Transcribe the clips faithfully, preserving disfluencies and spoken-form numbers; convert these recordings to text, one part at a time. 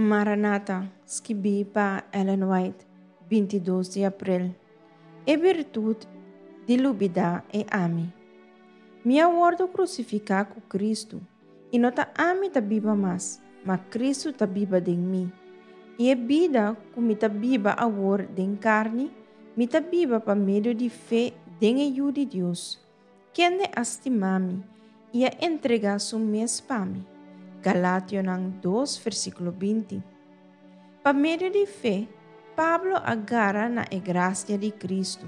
Maranata, skibí pa Ellen White, binti dos di aprel. E birtut di lubidá e ami. Mi a wòrdu krusifiká ku Kristu, i no ta ami ta biba mas, ma Kristu ta biba den mi. I e bida ku mi ta biba awor den karni, mi ta biba pa medio di fe den e Yu di Dios, kende a stima mi i a entregá su mes pa mi. Galationan dos, versíkulo binti. Pa medio di fe, Pablo a gara na e grasia di Kristu,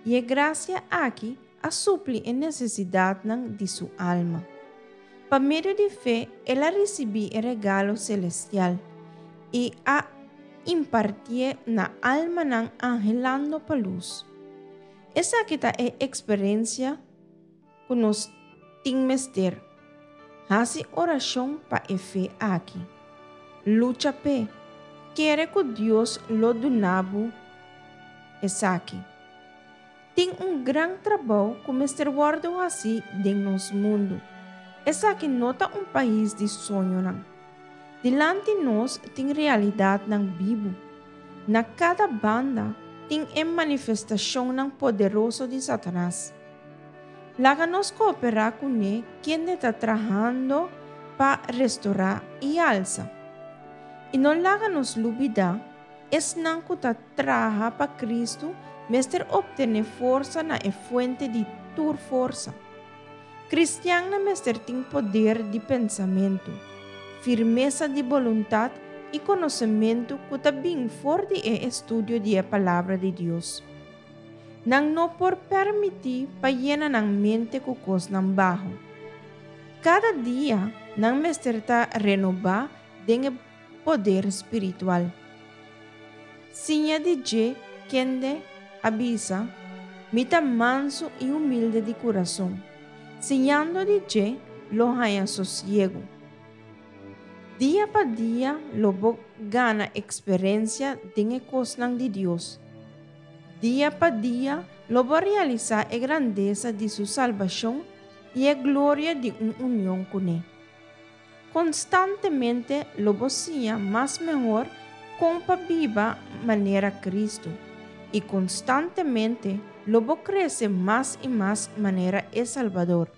i e grasia aki a supli e nesesidatnan di su alma. Pa medio di fe, el a risibí e regalo selestial i a impartié na almanan anhelando pa lus. Esaki ta e eksperensia ku nos tin mester. Hasi orashon pa e fe aki. Lucha p'e. Kere ku Dios lo duna bo esaki. Tin un gran trabou ku mester wòrdu hasi den nos mundu. Esaki no ta un pais di soñonan. Dilanti nos tin realidatnan bibu. Na kada banda tin e manifestashonnan poderoso di Satanas. Laga nos kooperá kuné kende ta trahando pa restorá i alsa. I no laga nos lubidá, esnan ku ta traha pa Kristu mester optené forsa na e fuente di tur forsa. Kristiannan mester tin poder di pensamentu, firmesa di boluntat i konosementu ku ta bin for di e estudio di e Palabra di Dios. Nan no por permití pa yena nan mente ku kosnan baho. Kada dia nan mester ta renobá den e poder spiritual. Siña di dje kende a bisa, Mi ta mansu i humilde di kurason. Siñando di dje lo haña sosiegu. Dia pa dia lo bo gana eksperensia den e kosnan di Dios. Dia pa dia lo bo realisá e grandesa di su salbashon i e gloria di un union kuné. Konstantemente lo bo siña mas mehor kon pa biba manera Kristu i konstantemente lo bo krese mas i mas manera e Salbador.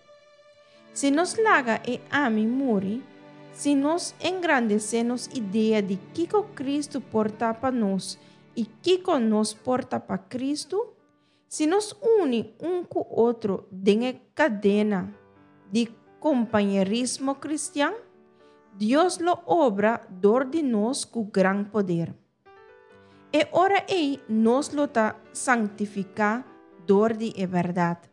Si nos laga e ami muri, si nos engrandesé nos idea di kiko Kristu por ta pa nos i kiko nos por ta pa Kristu, si nos uni un ku otro den e kadena di kompañerismo kristian, Dios lo obra dor di nos ku gran poder. E ora ei nos lo ta sanktifiká dor di e bèrdat.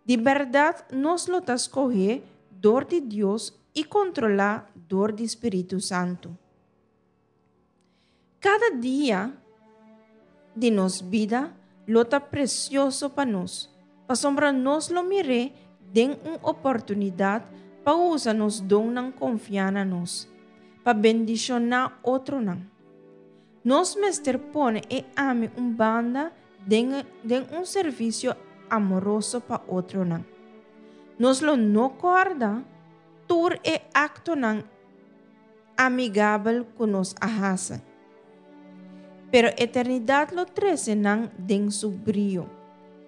Di bèrdat nos lo ta skohé dor di Dios i kontrolá dor di Spiritu Santu. Kada dia di nos bida lo ta presioso pa nos, pasobra nos lo mir'é den un oportunidat pa usa nos donnan konfiá na nos, pa bendishoná otronan. Nos mester pone e ami un banda den, den un servisio amoroso pa otronan. Nos lo no kòrda tur e aktonan amigabel ku nos a hasi. Pero eternidat lo trese nan den su brio.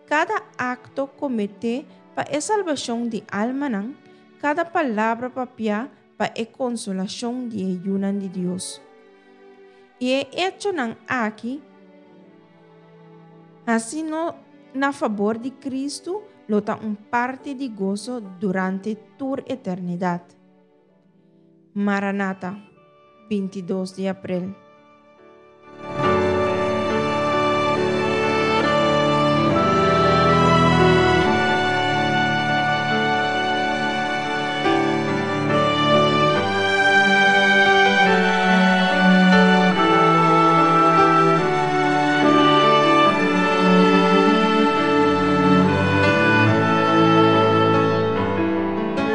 Kada akto kometé pa e salbashon di almanan, kada palabra papiá pa e konsolashon di e yunan di Dios. I e echonan aki, hasí na fabor di Kristu, lo ta un parti di goso durante tur eternidat. Maranata, binti dos di aprel.